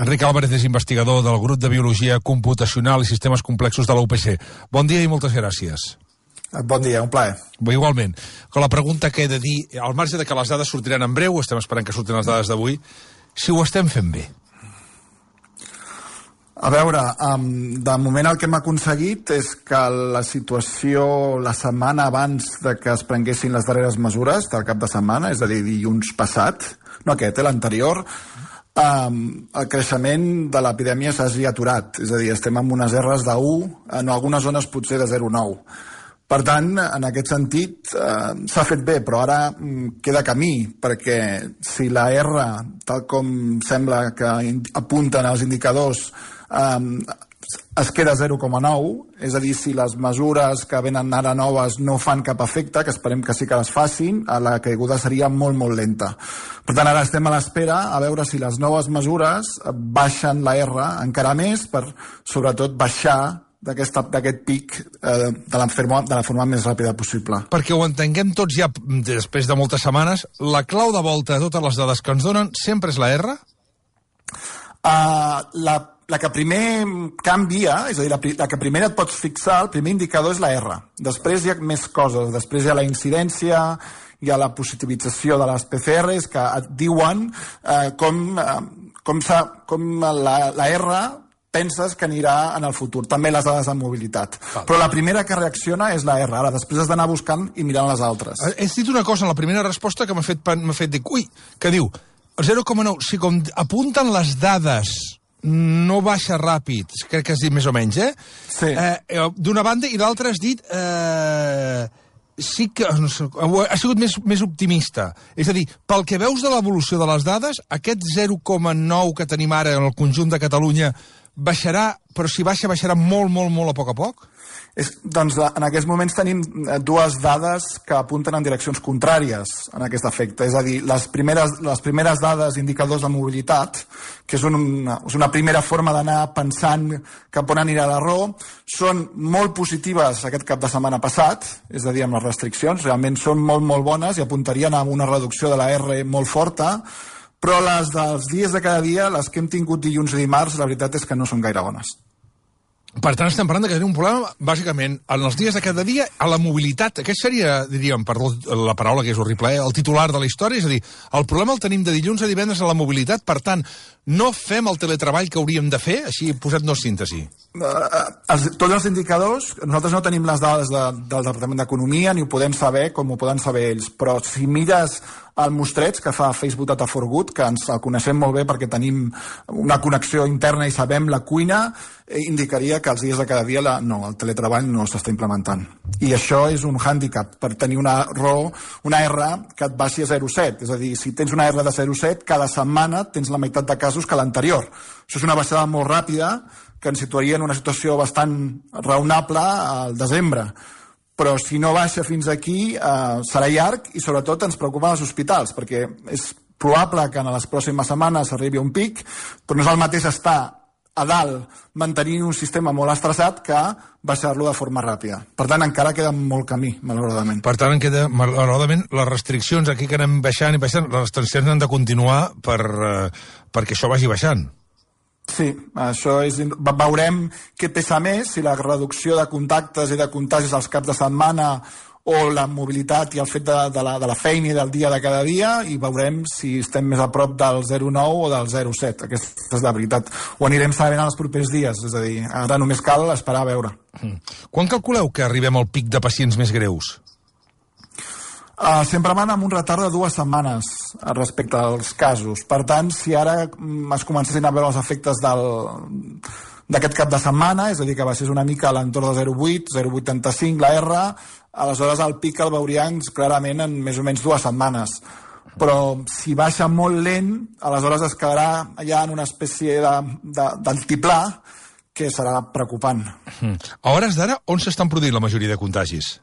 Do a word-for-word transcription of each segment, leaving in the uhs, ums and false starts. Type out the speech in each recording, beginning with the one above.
Enric Álvarez és investigador del grup de Biologia Computacional i Sistemes Complexos de la U P C. Bon dia i moltes gràcies. Bon dia, un plaer. Bé, igualment. Con la pregunta que he de dir, al marge de que les dades sortiran en breu, estem esperant que surtin les dades d'avui, si ho estem fent bé. A veure, um, de moment el que hem aconseguit és que la situació la setmana abans de que es prenguessin les darreres mesures del cap de setmana, és a dir, dilluns passat, no aquest, eh, l'anterior, um, el creixement de l'epidèmia s'hagi aturat. És a dir, estem amb unes erres de u, en algunes zones potser de zero coma nou. Per tant, en aquest sentit, eh, s'ha fet bé, però ara mm, queda camí, perquè si la R, tal com sembla que apunten els indicadors, eh, es queda zero coma nou, és a dir, si les mesures que venen ara noves no fan cap efecte, que esperem que sí que les facin, la caiguda seria molt, molt lenta. Per tant, ara estem a l'espera a veure si les noves mesures baixen la R encara més per, sobretot, baixar d'aquest pic eh, de, la forma, de la forma més ràpida possible. Perquè ho entenguem tots ja després de moltes setmanes, la clau de volta de totes les dades que ens donen sempre és la R? Uh, la, la que primer canvia, és a dir, la, la que primer et pots fixar, el primer indicador és la R. Després hi ha més coses, després hi ha la incidència, hi ha la positivització de les P C Rs que et diuen eh, com, eh, com, com la, la R penses que anirà en el futur. També les dades de mobilitat. Val. Però la primera que reacciona és la R. Ara, després has d'anar buscant i mirant les altres. Has dit una cosa en la primera resposta que m'ha fet, m'ha fet dir, ui, que diu, el zero coma nou, si com apunten les dades no baixa ràpid, crec que has dit més o menys, eh? Sí. Eh, D'una banda, i l'altra has dit... Eh, sí que no sé, ha sigut més, més optimista. És a dir, pel que veus de l'evolució de les dades, aquest zero coma nou que tenim ara en el conjunt de Catalunya baixarà, però si baixa, baixarà molt, molt, molt a poc a poc? És, doncs en aquests moments tenim dues dades que apunten en direccions contràries en aquest efecte. És a dir, les primeres, les primeres dades, indicadors de mobilitat, que és una, és una primera forma d'anar pensant cap on anirà l'error, són molt positives aquest cap de setmana passat, és a dir, amb les restriccions, realment són molt, molt bones i apuntarien a una reducció de la R molt forta, però les dels dies de cada dia, les que hem tingut dilluns i dimarts, la veritat és que no són gaire bones. Per tant, estem parlant que tenim un problema, bàsicament, en els dies de cada dia, a la mobilitat. Aquest seria, diríem, perdó la paraula que és horrible, eh? El titular de la història, és a dir, el problema el tenim de dilluns a divendres a la mobilitat, per tant, no fem el teletreball que hauríem de fer, així posat-nos síntesi. Uh, els, tots els indicadors, nosaltres no tenim les dades de, del Departament d'Economia, ni ho podem saber com ho poden saber ells, però si mires el mostreig que fa Facebook Data for Good, que ens el coneixem molt bé perquè tenim una connexió interna i sabem la cuina, eh, indicaria que els dies de cada dia la, no, el teletreball no s'està implementant. I això és un hàndicap per tenir una raó, una R que et baixi a zero coma set. És a dir, si tens una R de zero coma set, cada setmana tens la meitat de casos que l'anterior. Això és una baixada molt ràpida que ens situaria en una situació bastant raonable al desembre. Però si no baixa fins aquí eh, serà llarg i sobretot ens preocupen els hospitals, perquè és probable que en les pròximes setmanes arribi un pic, però no és el mateix estar a dalt mantenint un sistema molt estressat que baixar-lo de forma ràpida. Per tant, encara queda molt camí, malauradament. Per tant, queda, malauradament, les restriccions aquí que anem baixant i baixant, les restriccions han de continuar per, eh, perquè això vagi baixant. Sí, això és... Veurem què pesa més, si la reducció de contactes i de contagis als caps de setmana o la mobilitat i el fet de, de, la, de la feina i del dia de cada dia, i veurem si estem més a prop del zero coma nou o del zero coma set. Aquesta és la veritat. Ho anirem sabent en els propers dies, és a dir, ara només cal esperar a veure. Mm. Quan calculeu que arribem al pic de pacients més greus? Uh, sempre van amb un retard de dues setmanes respecte als casos. Per tant, si ara es comencessin a veure els efectes del, d'aquest cap de setmana, és a dir, que baixés una mica a l'entorn de zero coma vuit, zero coma vuitanta-cinc, la R, aleshores el pic el veuríem clarament en més o menys dues setmanes. Però si baixa molt lent, aleshores es quedarà ja en una espècie de, de, d'altiplà que serà preocupant. Mm. A hores d'ara, on s'estan produint la majoria de contagis?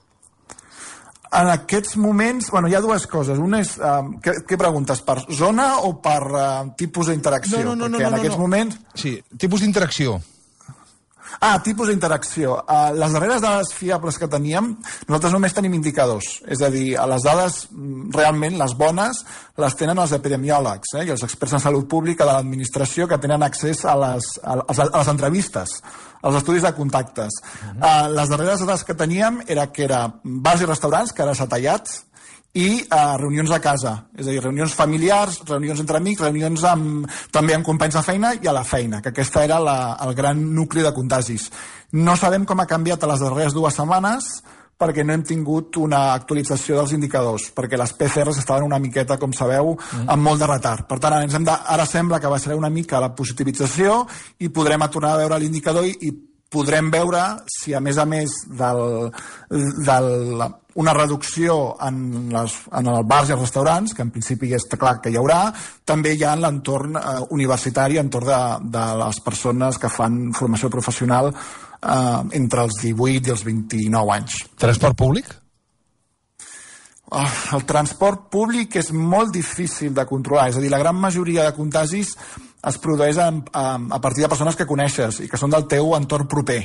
En aquests moments, bueno, hi ha dues coses. Una és, uh, què, què preguntes, per zona o per uh, tipus d'interacció? No, no, no, Perquè no, en no, aquests no. moments... Sí, tipus d'interacció. Ah, tipus d'interacció. Uh, les darreres dades fiables que teníem, nosaltres només tenim indicadors. És a dir, les dades realment, les bones, les tenen els epidemiòlegs eh, i els experts en salut pública de l'administració que tenen accés a les, a, a les entrevistes, als estudis de contactes. Uh-huh. Uh, les darreres dades que teníem era que era bars i restaurants, que ara s'ha tallat, i uh, reunions a casa, és a dir, reunions familiars, reunions entre amics, reunions amb, també amb companys de feina i a la feina, que aquesta era la, el gran nucli de contagis. No sabem com ha canviat a les darreres dues setmanes perquè no hem tingut una actualització dels indicadors, perquè les P C Rs estaven una miqueta, com sabeu, amb molt de retard. Per tant, ara, ens hem de, ara sembla que baixarà una mica la positivització i podrem tornar a veure l'indicador i, i podrem veure si, a més a més del, del, una reducció en, les, en els bars i els restaurants, que en principi està clar que hi haurà, també hi ha en l'entorn eh, universitari, entorn de, de les persones que fan formació professional eh, entre els divuit i els vint-i-nou anys. Transport públic? Oh, el transport públic és molt difícil de controlar, és a dir, la gran majoria de contagis es produeix a, a, a partir de persones que coneixes i que són del teu entorn proper.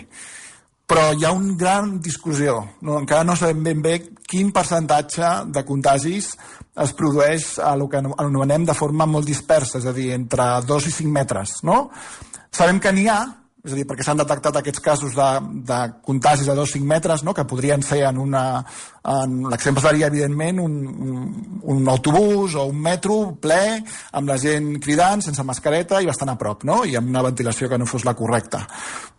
Però hi ha una gran discussió. No, encara no sabem ben bé quin percentatge de contagis es produeix a el que anomenem de forma molt dispersa, és a dir, entre dos i cinc metres. No? Sabem que n'hi ha, és a dir, perquè s'han detectat aquests casos de, de contagis de dos o cinc metres, no? Que podrien ser en una... En, l'exemple seria, evidentment, un, un, un autobús o un metro ple, amb la gent cridant, sense mascareta i bastant a prop, no? I amb una ventilació que no fos la correcta.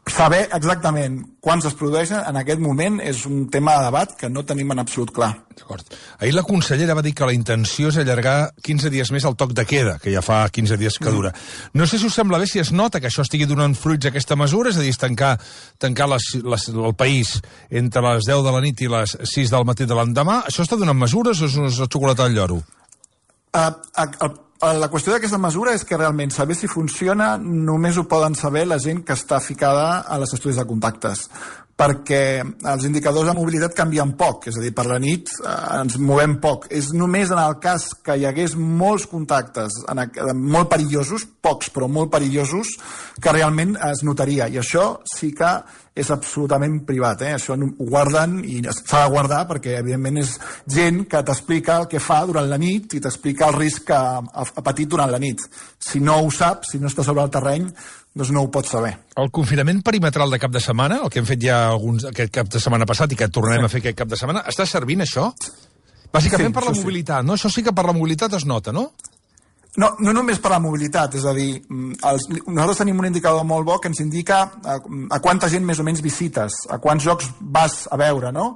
Saber exactament quants es produeixen en aquest moment és un tema de debat que no tenim en absolut clar. D'acord. Ahir la consellera va dir que la intenció és allargar quinze dies més el toc de queda, que ja fa quinze dies que dura. Mm. No sé si us sembla bé si es nota que això estigui donant fruits a aquesta mesura, és a dir, tancar, tancar les, les, el país entre les deu de la nit i les sis del matí de l'endemà. Això està donant mesures o és una xocolata al lloro? Uh, uh, uh, la qüestió d'aquesta mesura és que realment saber si funciona només ho poden saber la gent que està ficada a les estudis de contactes, perquè els indicadors de mobilitat canvien poc, és a dir, per la nit eh, ens movem poc. És només en el cas que hi hagués molts contactes en, molt perillosos, pocs però molt perillosos, que realment es notaria, i això sí que és absolutament privat, eh? Això ho guarden i s'ha de guardar perquè evidentment és gent que t'explica el que fa durant la nit i t'explica el risc que ha, ha patit durant la nit. Si no ho saps, si no està sobre el terreny, doncs no ho pots saber. El confinament perimetral de cap de setmana, el que hem fet ja alguns, aquest cap de setmana passat i que tornarem sí. a fer aquest cap de setmana, està servint això? Bàsicament sí, per la mobilitat, sí. no? Això sí que per la mobilitat es nota, no? No, no només per la mobilitat, és a dir, els, nosaltres tenim un indicador molt bo que ens indica a, a quanta gent més o menys visites, a quants jocs vas a veure, no?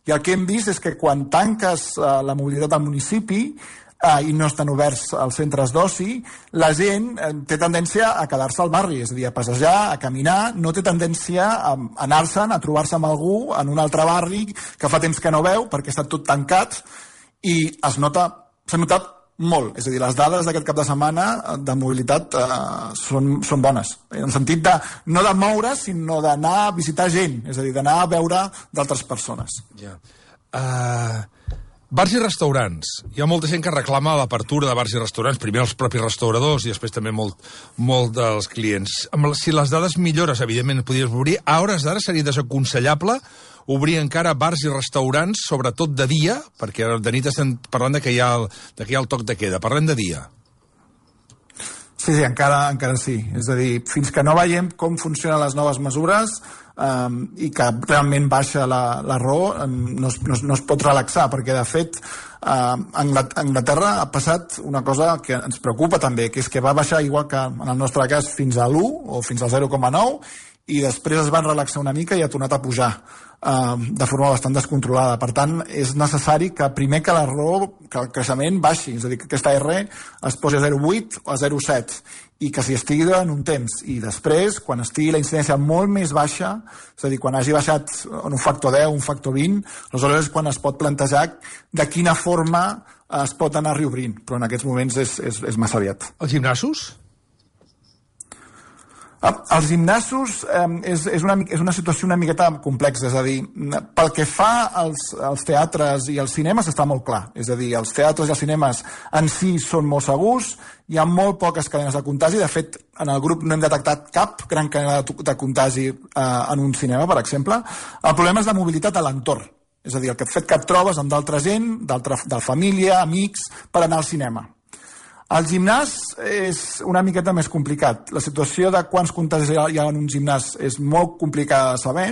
I el que hem vist és que quan tanques uh, la mobilitat al municipi uh, i no estan oberts els centres d'oci, la gent uh, té tendència a quedar-se al barri, és a dir, a passejar, a caminar, no té tendència a anar-se'n, a trobar-se amb algú en un altre barri que fa temps que no veu perquè està tot tancat i es nota, s'ha notat molt, és a dir, les dades d'aquest cap de setmana de mobilitat eh, són, són bones, en el sentit de no de moure, sinó d'anar a visitar gent, és a dir, d'anar a veure d'altres persones. Ja. Uh, bars i restaurants. Hi ha molta gent que reclama l'apertura de bars i restaurants, primer els propis restauradors i després també molt, molt dels clients. Si les dades millores, evidentment, podries obrir, a hores d'ara seria desaconsellable obrir encara bars i restaurants, sobretot de dia, perquè de nit estem parlant de que hi ha el, de que hi ha el toc de queda. Parlem de dia. Sí, sí, encara, encara sí. És a dir, fins que no veiem com funcionen les noves mesures um, i que realment baixa la, la raó, um, no, es, no, es, no es pot relaxar, perquè de fet uh, Anglaterra ha passat una cosa que ens preocupa també, que és que va baixar igual que en el nostre cas fins a l'u o fins al zero coma nou i després es van relaxar una mica i ha tornat a pujar uh, de forma bastant descontrolada. Per tant, és necessari que primer que la raó, que el creixement baixi, és a dir, que aquesta R es posi a zero coma vuit o a zero coma set i que s'hi estigui durant un temps. I després, quan estigui la incidència molt més baixa, és a dir, quan hagi baixat en un factor deu, un factor vint, aleshores és quan es pot plantejar de quina forma es pot anar reobrint, però en aquests moments és, és, és massa aviat. Els gimnasos? Els gimnasos eh, és, és, una, és una situació una miqueta complexa, és a dir, pel que fa als, als teatres i als cinemes està molt clar, és a dir, els teatres i els cinemes en si són molt segurs, hi ha molt poques cadenes de contagi, de fet, en el grup no hem detectat cap gran cadena de, de contagi eh, en un cinema, per exemple. El problema és la mobilitat a l'entorn, és a dir, el fet que et trobes amb d'altra gent, de família, amics, per anar al cinema. El gimnàs és una miqueta més complicat. La situació de quants contagis hi ha en un gimnàs és molt complicada de saber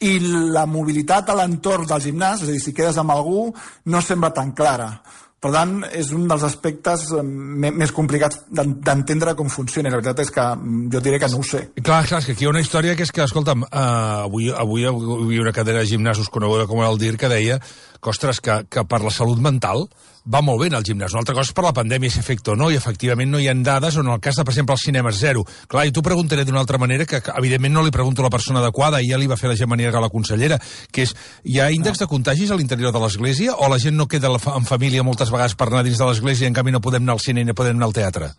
i la mobilitat a l'entorn del gimnàs, és a dir, si quedes amb algú, no sembla tan clara. Per tant, és un dels aspectes més complicats d'entendre com funciona. La veritat és que jo diré que no ho sé. Clar, clar, és que aquí hi ha una història que és que, escolta'm, uh, avui, avui hi havia una cadena de gimnasos coneguda com el D I R que deia que, ostres, que, que per la salut mental va molt bé anar al gimnàs. Una altra cosa és per la pandèmia, si afecta o no, i efectivament no hi ha dades on el cas de, per exemple, els cinemes zero. Clar, i t'ho preguntaré d'una altra manera, que, que evidentment no li pregunto a la persona adequada, i ja li va fer la Gemma Nierga, la consellera, que és, hi ha índex de contagis a l'interior de l'església, o la gent no queda en família moltes vegades per anar dins de l'església i en canvi no podem anar al cine i no podem anar al teatre?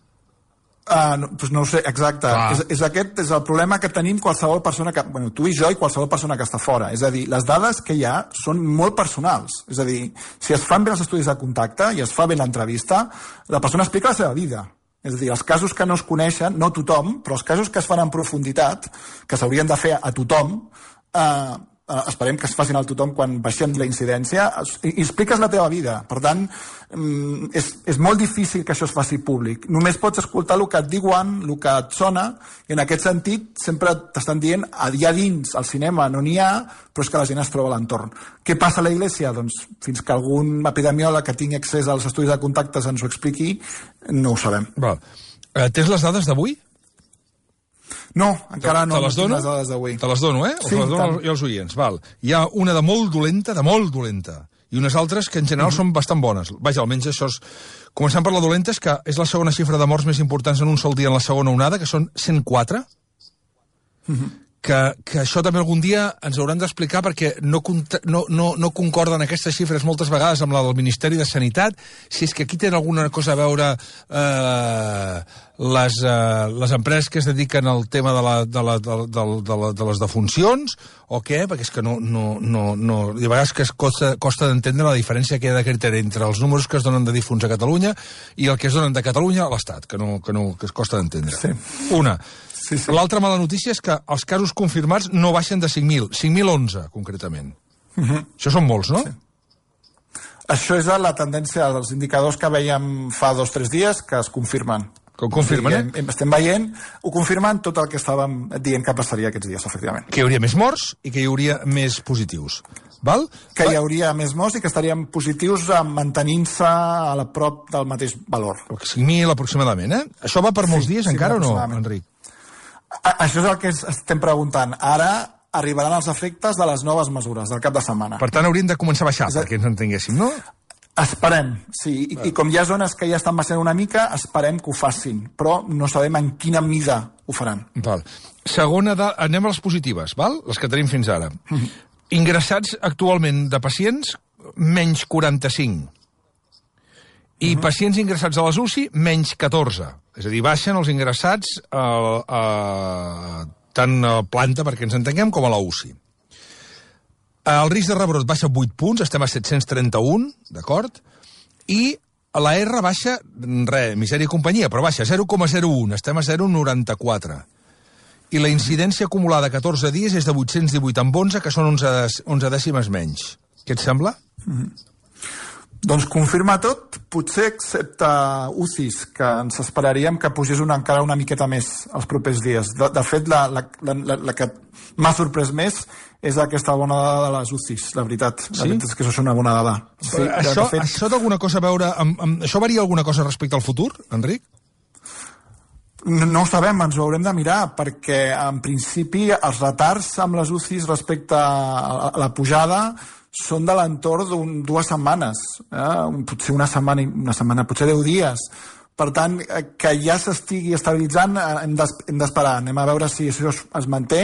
Uh, no, doncs no ho sé, exacte. És, és aquest és el problema que tenim qualsevol persona que... Bueno, tu i jo i qualsevol persona que està fora. És a dir, les dades que hi ha són molt personals. És a dir, si es fan bé els estudis de contacte i es fa bé l'entrevista, la persona explica la seva vida. És a dir, els casos que no es coneixen, no tothom, però els casos que es fan en profunditat, que s'haurien de fer a tothom, eh, Uh, esperem que es facin al tothom quan baixem la incidència, i, i expliques la teva vida. Per tant, um, és, és molt difícil que això es faci públic. Només pots escoltar el que et diuen, el que et sona, i en aquest sentit sempre t'estan dient, allà dins, al cinema no n'hi ha, però és que la gent es troba a l'entorn. Què passa a la Iglésia? Doncs fins que algun epidemiòleg que tingui accés als estudis de contactes ens ho expliqui, no ho sabem. Val. Uh, tens les dades d'avui? No, encara no. Te les dono? Les dades d'avui. Te les dono, eh? Sí, les dono i els oients, val. Hi ha una de molt dolenta, de molt dolenta, i unes altres que en general mm-hmm. són bastant bones. Vaja, almenys això és... Començant per la dolenta, és que és la segona xifra de morts més importants en un sol dia en la segona onada, que són cent quatre. Mm-hmm. Que, que això també algun dia ens hauran d'explicar perquè no, no, no, no concorden aquestes xifres moltes vegades amb la del Ministeri de Sanitat, si és que aquí tenen alguna cosa a veure eh, les, eh, les empreses que es dediquen al tema de, la, de, la, de, de, de, la, de les defuncions o què, perquè és que no, no, no, no de vegades que es costa, costa d'entendre la diferència que hi ha de criteri entre els números que es donen de difunts a Catalunya i el que es donen de Catalunya a l'Estat, que, no, que, no, que es costa d'entendre. Sí. Una. Sí, sí. L'altra mala notícia és que els casos confirmats no baixen de cinc mil, cinc mil onze, concretament. Uh-huh. Això són molts, no? Sí. Això és la tendència dels indicadors que veiem fa dos o tres dies que es confirmen. Que ho confirmen, eh? Estem veient, ho confirmen tot el que estàvem dient que passaria aquests dies, efectivament. Que hi hauria més morts i que hi hauria més positius. Val? Que hi hauria més morts i que estaríem positius mantenint-se a la prop del mateix valor. cinc mil aproximadament, eh? Això va per molts sí, dies sí, encara o no, Enric? Això és el que estem preguntant. Ara arribaran els efectes de les noves mesures del cap de setmana. Per tant, hauríem de començar a baixar, a... perquè ens entenguéssim, no? Esperem, sí. I, I com hi ha zones que ja estan baixant una mica, esperem que ho facin. Però no sabem en quina mida ho faran. Val. Segona, de... anem a les positives, val? Les que tenim fins ara. Mm-hmm. Ingressats actualment de pacients, menys quaranta-cinc. I uh-huh. pacients ingressats a les U C I, menys catorze. És a dir, baixen els ingressats a, a, tant a planta, perquè ens entenguem, com a la U C I. El risc de rebrot baixa vuit punts, estem a set-cents trenta-un, d'acord? I la R baixa, res, misèria i companyia, però baixa zero coma zero un, estem a zero coma noranta-quatre. I la incidència acumulada a catorze dies és de vuit-cents divuit amb onze, que són onze, onze dècimes menys. Què et sembla? Mm-hmm. Doncs confirma tot, potser excepte U C Is, que ens esperaríem que pugés una, encara una miqueta més els propers dies. De, de fet, la, la, la, la que m'ha sorprès més és aquesta bona dada de les U C Is, la veritat. La sí? veritat és que això és una bona dada. Sí, això, fet... això té alguna cosa a veure amb, amb... Això varia alguna cosa respecte al futur, Enric? No, no ho sabem, ens ho haurem de mirar, perquè en principi els retards amb les U C Is respecte a la pujada són de l'entorn d'un dues setmanes, eh? potser una setmana, una setmana, potser deu dies. Per tant, que ja s'estigui estabilitzant hem d'esperar. Anem a veure si això es manté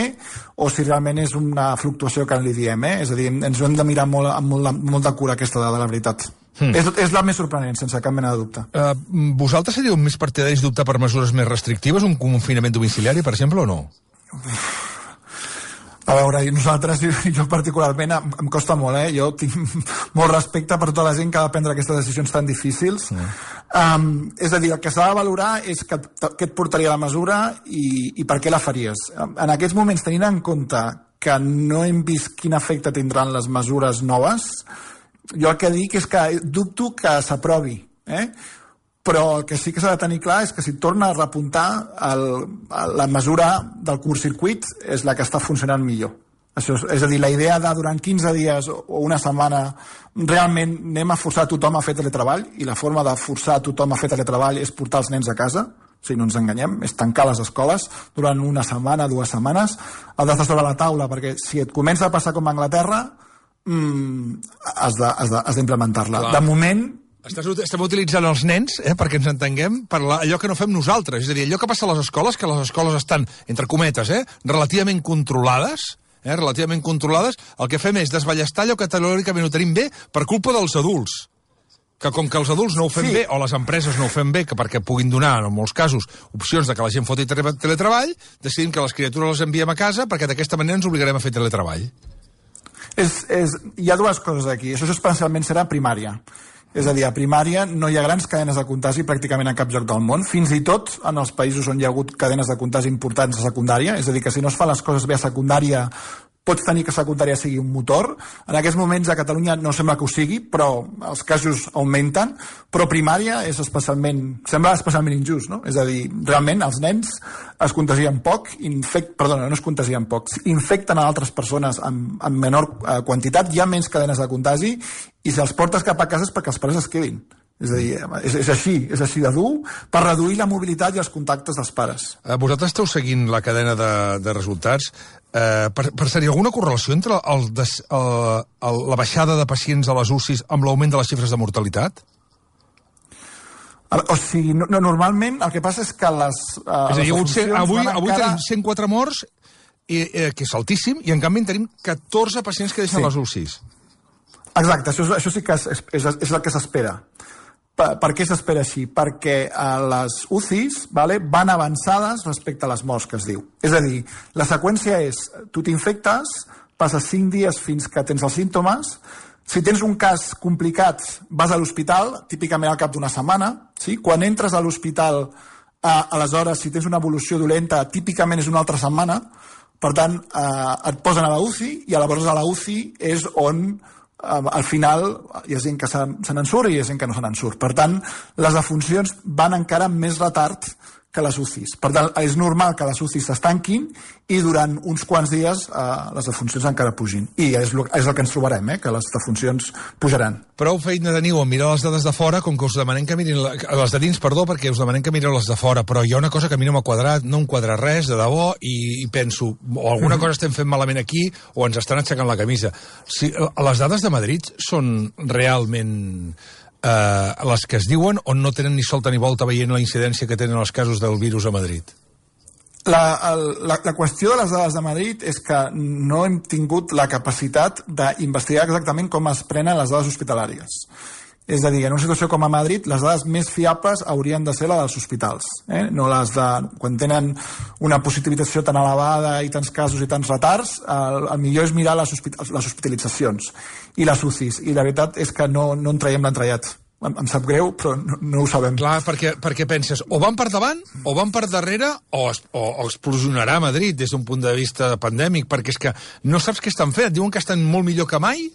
o si realment és una fluctuació que li diem. Eh? És a dir, ens ho hem de mirar molt, amb molt, molt de cura aquesta dada, la veritat. Mm. És, és la més sorprenent, sense cap mena de dubte. Uh, vosaltres seríeu més partidaris d'optar per mesures més restrictives, un confinament domiciliari, per exemple, o no? A veure, nosaltres, jo particularment, em, em costa molt, eh? Jo tinc molt respecte per tota la gent que ha de prendre aquestes decisions tan difícils. Mm. Um, és a dir, el que s'ha de valorar és que, què et portaria la mesura i, i per què la faries. En aquests moments, tenint en compte que no hem vist quin efecte tindran les mesures noves, jo el que dic és que dubto que s'aprovi, eh? Però el que sí que s'ha de tenir clar és que si torna a repuntar el, la mesura del curt-circuit és la que està funcionant millor. Això és, és a dir, la idea de durant quinze dies o una setmana realment anem a forçar tothom a fer teletreball, i la forma de forçar tothom a fer teletreball és portar els nens a casa, si no ens enganyem, és tancar les escoles durant una setmana, dues setmanes, has d'estar sobre la taula, perquè si et comença a passar com a Anglaterra, mmm, has d'implementar-la. De moment... Estàs, estem utilitzant els nens, eh, perquè ens entenguem, per la, allò que no fem nosaltres. És a dir, allò que passa a les escoles, que les escoles estan, entre cometes, eh, relativament controlades, eh, relativament controlades, el que fem és desballestar allò que teòricament ho tenim bé per culpa dels adults. Que com que els adults no ho fem sí. bé, o les empreses no ho fem bé, que perquè puguin donar, en molts casos, opcions de que la gent foti teletreball, decidim que les criatures les enviem a casa perquè d'aquesta manera ens obligarem a fer teletreball. És, és, hi ha dues coses aquí. Això especialment serà primària. És a dir, a primària no hi ha grans cadenes de contagi pràcticament a cap lloc del món, fins i tot en els països on hi ha hagut cadenes de contagi importants a secundària, és a dir, que si no es fan les coses bé a secundària, pots tenir que secundària sigui un motor. En aquests moments a Catalunya no sembla que ho sigui, però els casos augmenten, però primària és especialment, sembla especialment injust, no? És a dir, realment els nens es contagien poc, infect, perdona, no es contagien poc, infecten a altres persones en, en menor eh, quantitat, hi ha menys cadenes de contagi, i si els portes cap a casa és perquè els pares es quedin. És a dir, és, és així, és així de dur, per reduir la mobilitat i els contactes dels pares. Eh, vosaltres esteu seguint la cadena de, de resultats. Eh, per, per ser-hi alguna correlació entre el des, el, el, la baixada de pacients a les U C Is amb l'augment de les xifres de mortalitat? O sigui, no, no, normalment el que passa és que les... Eh, és a dir, les ser, avui, avui encara... tenim cent quatre morts, i, eh, que és altíssim, i en canvi en tenim catorze pacients que deixen sí. les U C Is. Exacte, això, això sí que és, és, és el que s'espera. Per, per què s'espera així? Perquè eh, les U C Is vale, van avançades respecte a les morts, que es diu. És a dir, la seqüència és, tu t'infectes, passes cinc dies fins que tens els símptomes, si tens un cas complicat vas a l'hospital, típicament al cap d'una setmana, sí? Quan entres a l'hospital, eh, aleshores, si tens una evolució dolenta, típicament és una altra setmana, per tant, eh, et posen a la U C I, i llavors a la U C I és on... al final hi ha gent que se, se n'en surt i hi ha gent que no se n'en surt. Per tant, les defuncions van encara amb més retard que les U C Is. Per tant, és normal que les U C Is s'estanquin i durant uns quants dies eh, les defuncions encara pugin. I és, lo, és el que ens trobarem, eh, que les defuncions pujaran. Prou feina teniu a mirar les dades de fora, com que us demanem que mirin... La, les de dins, perdó, perquè us demanem que mireu les de fora, però hi ha una cosa que a mi no m'ha quadrat, no em quadra res, de debò, i, i penso, o alguna cosa estem fent malament aquí, o ens estan aixecant la camisa. Si, les dades de Madrid són realment... Uh, les que es diuen, on no tenen ni solta ni volta veient la incidència que tenen els casos del virus a Madrid? La, el, la, la qüestió de les dades de Madrid és que no hem tingut la capacitat d'investigar exactament com es prenen les dades hospitalàries. És a dir, en una situació com a Madrid, les dades més fiables haurien de ser les dels hospitals, eh? No les de... Quan tenen una positivitat tan elevada i tants casos i tants retards, el, el millor és mirar les, hospital, les hospitalitzacions i les U C Is, i la veritat és que no, no en traiem l'entrellat. Em, em sap greu, però no, no ho sabem. Clar, perquè, perquè penses, o van per davant, o van per darrere, o, es, o, o explosionarà Madrid des d'un punt de vista pandèmic, perquè és que no saps què estan fent. Diuen que estan molt millor que mai,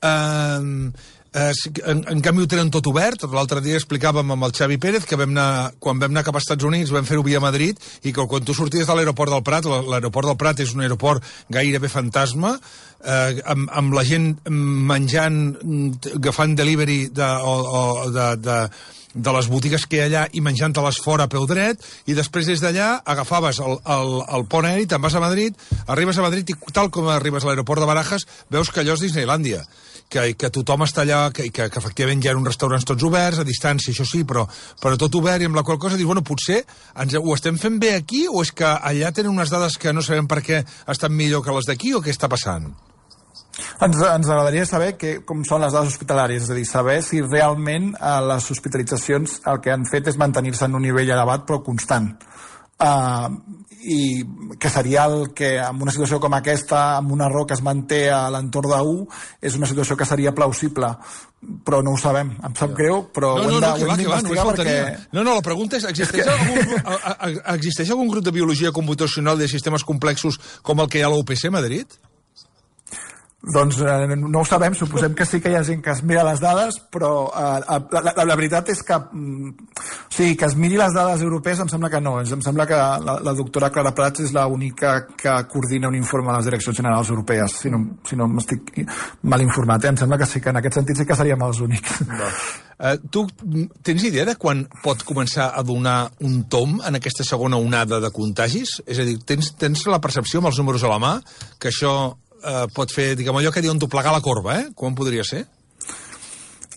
eh... Eh, en, en canvi ho tenen tot obert. L'altre dia explicàvem amb el Xavi Pérez que vam anar, quan vam anar cap als Estats Units vam fer-ho via Madrid, i que quan tu sorties de l'aeroport del Prat, l'aeroport del Prat és un aeroport gairebé fantasma, eh, amb, amb la gent menjant, agafant delivery de, o, o de, de, de les botigues que hi ha allà i menjant-te-les fora a peu dret, i després des d'allà agafaves el, el, el pont aeri, te'n vas a Madrid, arribes a Madrid i tal com arribes a l'aeroport de Barajas veus que allò és Disneylàndia. Que, que tothom està allà, que, que, que efectivament hi ha uns restaurants tots oberts, a distància, això sí, però, però tot obert, i amb la qual cosa dius, bueno, potser ens, ho estem fent bé aquí, o és que allà tenen unes dades que no sabem per què estan millor que les d'aquí, o què està passant? Ens, ens agradaria saber que, com són les dades hospitalàries, és a dir, saber si realment eh, les hospitalitzacions el que han fet és mantenir-se en un nivell elevat però constant. Uh, i que seria el que en una situació com aquesta, amb un error que es manté a l'entorn de u, és una situació que seria plausible, però no ho sabem, em sap greu, però no, ho hem no, no, d'investigar no, perquè... No, no, la pregunta és, existeix, és que... algun, existeix algun grup de biologia computacional de sistemes complexos com el que hi ha a la U P C Madrid? Doncs eh, no ho sabem, suposem que sí que hi ha gent que es mira les dades, però eh, la, la, la veritat és que mm, o sigui, que es miri les dades europees em sembla que no, em sembla que la, la doctora Clara Prats és l'única que coordina un informe a les direccions generals europees, si no, si no m'estic mal informat, eh? Em sembla que sí, que en aquest sentit sí que seríem els únics. No. Uh, tu tens idea de quan pot començar a donar un tom en aquesta segona onada de contagis? És a dir, tens, tens la percepció amb els números a la mà que això Uh, pot fer, diguem, allò que diuen doblegar la corba, eh? Com podria ser?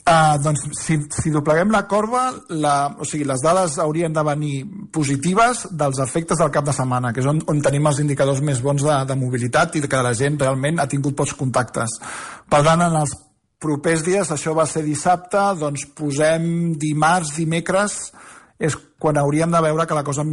Uh, doncs, si, si dobleguem la corba, la, o sigui, les dades haurien de venir positives dels efectes del cap de setmana, que és on, on tenim els indicadors més bons de, de mobilitat i que la gent realment ha tingut pocs contactes. Per tant, en els propers dies, això va ser dissabte, doncs posem dimarts, dimecres, és quan hauríem de veure que la cosa,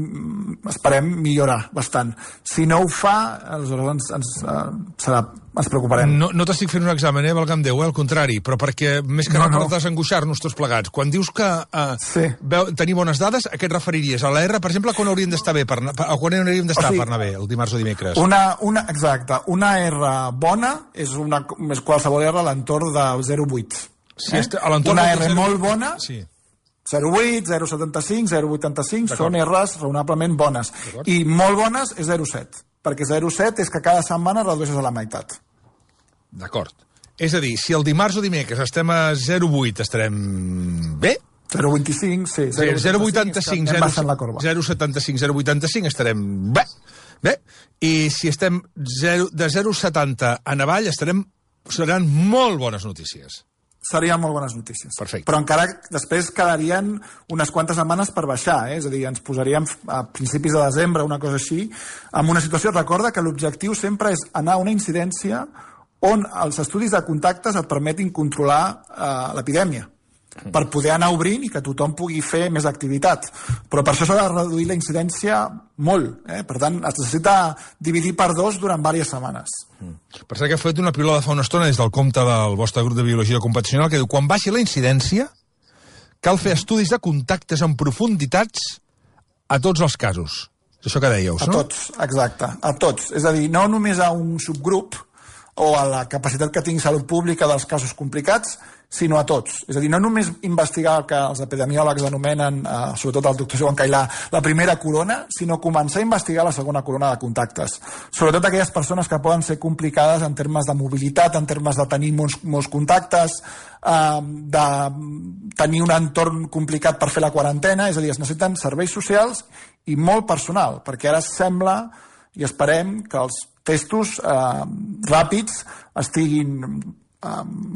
esperem, millorar bastant. Si no ho fa, aleshores ens, ens, uh, serà, ens preocuparem. No, no t'estic fent un examen, eh, valga'm Déu, eh, al contrari, però perquè més que no, no. per desangoixar-nos tots plegats. Quan dius que uh, sí. veu, tenir bones dades, a què et referiries? A l'A R, per exemple, quan hauríem d'estar bé per, per, quan hauríem d'estar o sigui, per anar bé, el dimarts o dimecres? Una, una, exacte. Una R bona és, una, és qualsevol R a l'entorn de zero coma vuit. Si eh? a l'entorn una R zero... molt bona... Sí. zero coma vuit, zero coma setanta-cinc, zero coma vuitanta-cinc són R's raonablement bones. I molt bones és zero coma set, perquè zero coma set és que cada setmana redueixes a la meitat. D'acord. És a dir, si el dimarts o dimecres estem a zero coma vuit, estarem bé? zero coma vint-i-cinc, sí. zero coma vuitanta-cinc, zero coma setanta-cinc, zero coma vuitanta-cinc estarem bé. Bé. I si estem zero, de zero coma setanta en avall, estarem, seran molt bones notícies. Serien molt bones notícies. Perfecte. Però encara després quedarien unes quantes setmanes per baixar, eh? És a dir, ens posaríem a principis de desembre, una cosa així, amb una situació. Recorda que l'objectiu sempre és anar a una incidència on els estudis de contactes et permetin controlar eh, l'epidèmia, per poder anar obrint i que tothom pugui fer més activitat. Però per això s'ha de reduir la incidència molt. Eh? Per tant, es necessita dividir per dos durant diverses setmanes. Mm. Per cert que he fet una pilota fa una estona des del compte del vostre grup de biologia computacional que diu, quan baixi la incidència cal fer estudis de contactes en profunditats a tots els casos. És això que dèieu, no? A tots, exacte, a tots. És a dir, no només a un subgrup o a la capacitat que tingui salut pública dels casos complicats, sinó a tots. És a dir, no només investigar el que els epidemiòlegs anomenen, eh, sobretot el doctor Joan Cailà, la primera corona, sinó començar a investigar la segona corona de contactes. Sobretot aquelles persones que poden ser complicades en termes de mobilitat, en termes de tenir molts, molts contactes, eh, de tenir un entorn complicat per fer la quarantena, és a dir, es necessiten serveis socials i molt personal, perquè ara sembla i esperem que els testos eh, ràpids estiguin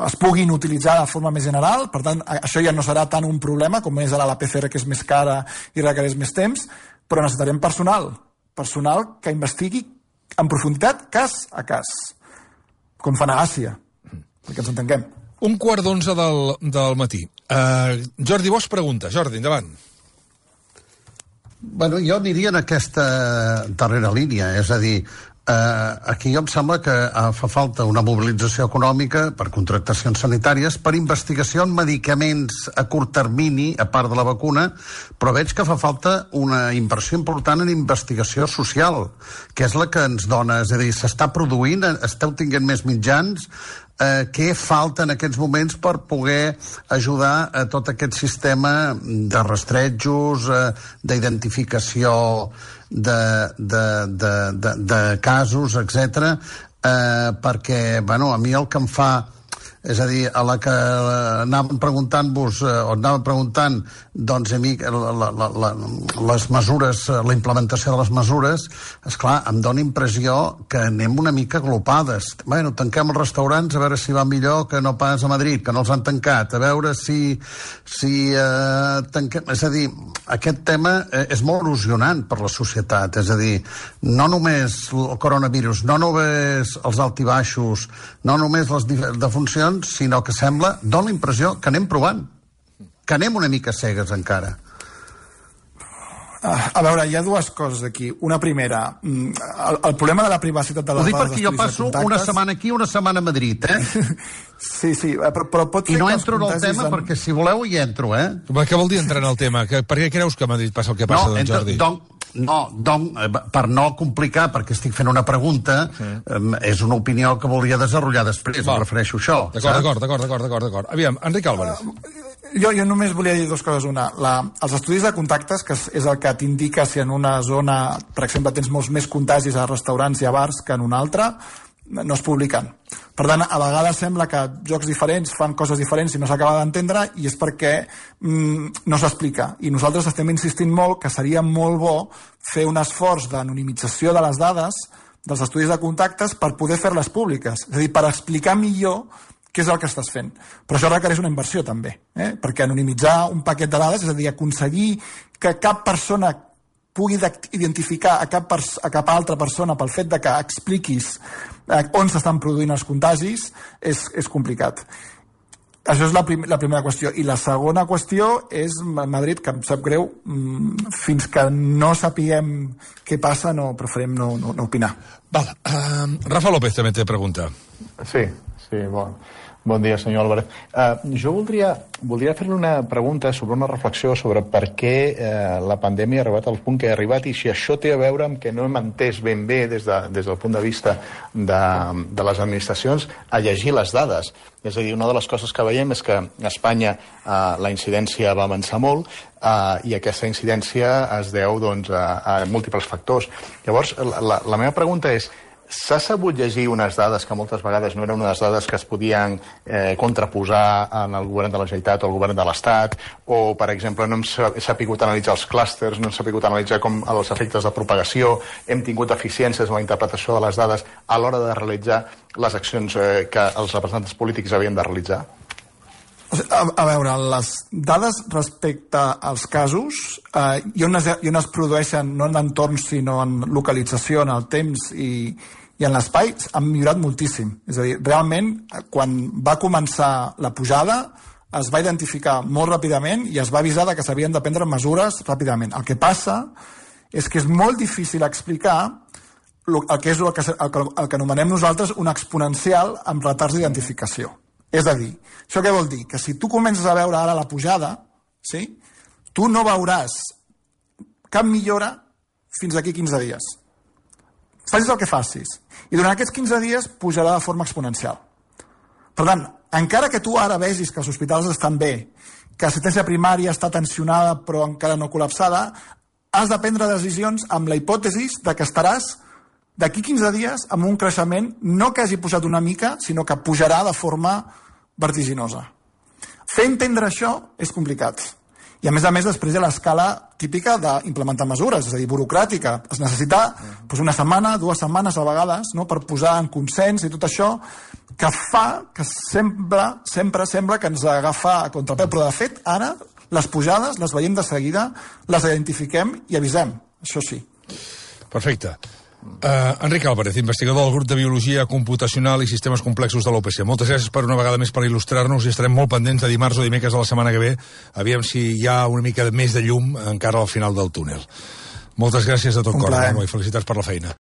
es puguin utilitzar de forma més general, per tant, això ja no serà tant un problema com és ara la P C R, que és més cara i requereix més temps, però necessitarem personal, personal que investigui en profunditat cas a cas, com fan a Àsia, perquè ens entenguem. Un quart d'onze del, del matí. Uh, Jordi Bosch pregunta. Jordi, endavant. Bueno, jo aniria en aquesta darrera línia, és a dir, Uh, aquí em sembla que uh, fa falta una mobilització econòmica per contractacions sanitàries, per investigació en medicaments a curt termini, a part de la vacuna, però veig que fa falta una inversió important en investigació social, que és la que ens dona, és a dir, s'està produint, esteu tinguent més mitjans, uh, què falta en aquests moments per poder ajudar a tot aquest sistema de rastrejos, uh, d'identificació De, de, de, de, de casos, etcètera, eh, perquè, bueno, a mi el que em fa, és a dir, a la que anàvem preguntant-vos, eh, o anàvem preguntant doncs, a mi, la, la, la, la, les mesures, la implementació de les mesures, esclar, em dóna impressió que anem una mica glopades. Bueno, tanquem els restaurants a veure si va millor que no pas a Madrid, que no els han tancat, a veure si, si eh, tanquem... És a dir, aquest tema eh, és molt erosionant per la societat, és a dir, no només el coronavirus, no només els altibaixos, no només les defuncions, sinó que sembla, dóna la impressió que anem provant, que anem una mica cegues encara. A veure, hi ha dues coses aquí. Una primera, el, el problema de la privacitat de les dades... Ho dic perquè jo passo de una setmana aquí, una setmana a Madrid, eh? Sí, sí, però, però pot ser... I no entro en el tema, en... perquè si voleu hi entro, eh? Què vol dir entrar en el tema? Que, per què creus que a Madrid passa el que passa, no, doncs, entre, Jordi? Don, no, don, per no complicar, perquè estic fent una pregunta, sí. eh, és una opinió que volia desenvolupar després, em refereixo a això. D'acord, d'acord, d'acord, d'acord. Aviam, Enric Álvarez. Uh, Jo, jo només volia dir dues coses. Una, la, els estudis de contactes, que és el que t'indica si en una zona, per exemple, tens molts més contagis a restaurants i a bars que en una altra, no es publiquen. Per tant, a vegades sembla que jocs diferents fan coses diferents i no s'acaba d'entendre, i és perquè mm, no s'explica. I nosaltres estem insistint molt que seria molt bo fer un esforç d'anonimització de les dades dels estudis de contactes per poder fer-les públiques. És a dir, per explicar millor què és el que estàs fent. Però això requereix una inversió, també, eh? Perquè anonimitzar un paquet de dades, és a dir, aconseguir que cap persona pugui identificar a cap, a cap altra persona pel fet de que expliquis eh, on s'estan produint els contagis, és, és complicat. Això és la, prim la primera qüestió. I la segona qüestió és Madrid, que em sap greu, fins que no sapiguem què passa, no preferim no, no, no opinar. Val. Uh, Rafa López també té pregunta. Sí, sí, bon. Bon dia, senyor Álvarez. Uh, jo voldria, voldria fer-li una pregunta sobre una reflexió sobre per què uh, la pandèmia ha arribat al punt que ha arribat i si això té a veure amb que no hem entès ben bé des, de, des del punt de vista de, de les administracions a llegir les dades. És a dir, una de les coses que veiem és que a Espanya uh, la incidència va avançar molt uh, i aquesta incidència es deu doncs, a, a múltiples factors. Llavors, la, la, la meva pregunta és: s'ha sabut llegir unes dades que moltes vegades no eren unes dades que es podien eh, contraposar en el govern de la Generalitat o el govern de l'Estat, o, per exemple, no hem sapigut analitzar els clústers, no hem sapigut analitzar com els efectes de propagació, hem tingut eficiències en la interpretació de les dades a l'hora de realitzar les accions eh, que els representants polítics havien de realitzar? A, a veure, les dades respecte als casos, eh, i, on es, i on es produeixen no en entorns sinó en localització, en el temps i, i en l'espai, han millorat moltíssim. És a dir, realment, quan va començar la pujada, es va identificar molt ràpidament i es va avisar de que s'havien de prendre mesures ràpidament. El que passa és que és molt difícil explicar el que és el que, el que, el que anomenem nosaltres un exponencial amb retards d'identificació. És a dir, això què vol dir? Que si tu comences a veure ara la pujada, sí? Tu no veuràs cap millora fins d'aquí quinze dies. Facis el que facis. I durant aquests quinze dies pujarà de forma exponencial. Per tant, encara que tu ara vegis que els hospitals estan bé, que l'assistència primària està tensionada però encara no col·lapsada, has de prendre decisions amb la hipòtesi de que estaràs d'aquí quinze dies amb un creixement no que hagi pujat una mica, sinó que pujarà de forma vertiginosa. Fer entendre això és complicat. I a més a més després hi ha l'escala típica d'implementar mesures, és a dir, burocràtica. Es necessita doncs, una setmana, dues setmanes a vegades, no?, per posar en consens i tot això, que fa que sempre, sempre sembla que ens agafa a contrapeu. Però de fet, ara, les pujades les veiem de seguida, les identifiquem i avisem. Això sí. Perfecte. Uh, Enric Álvarez, investigador del grup de Biologia Computacional i Sistemes Complexos de l'U P C. Moltes gràcies per una vegada més per il·lustrar-nos i estarem molt pendents de dimarts o dimecres de la setmana que ve. Aviam si hi ha una mica més de llum encara al final del túnel. Moltes gràcies de tot cor, i felicitats per la feina.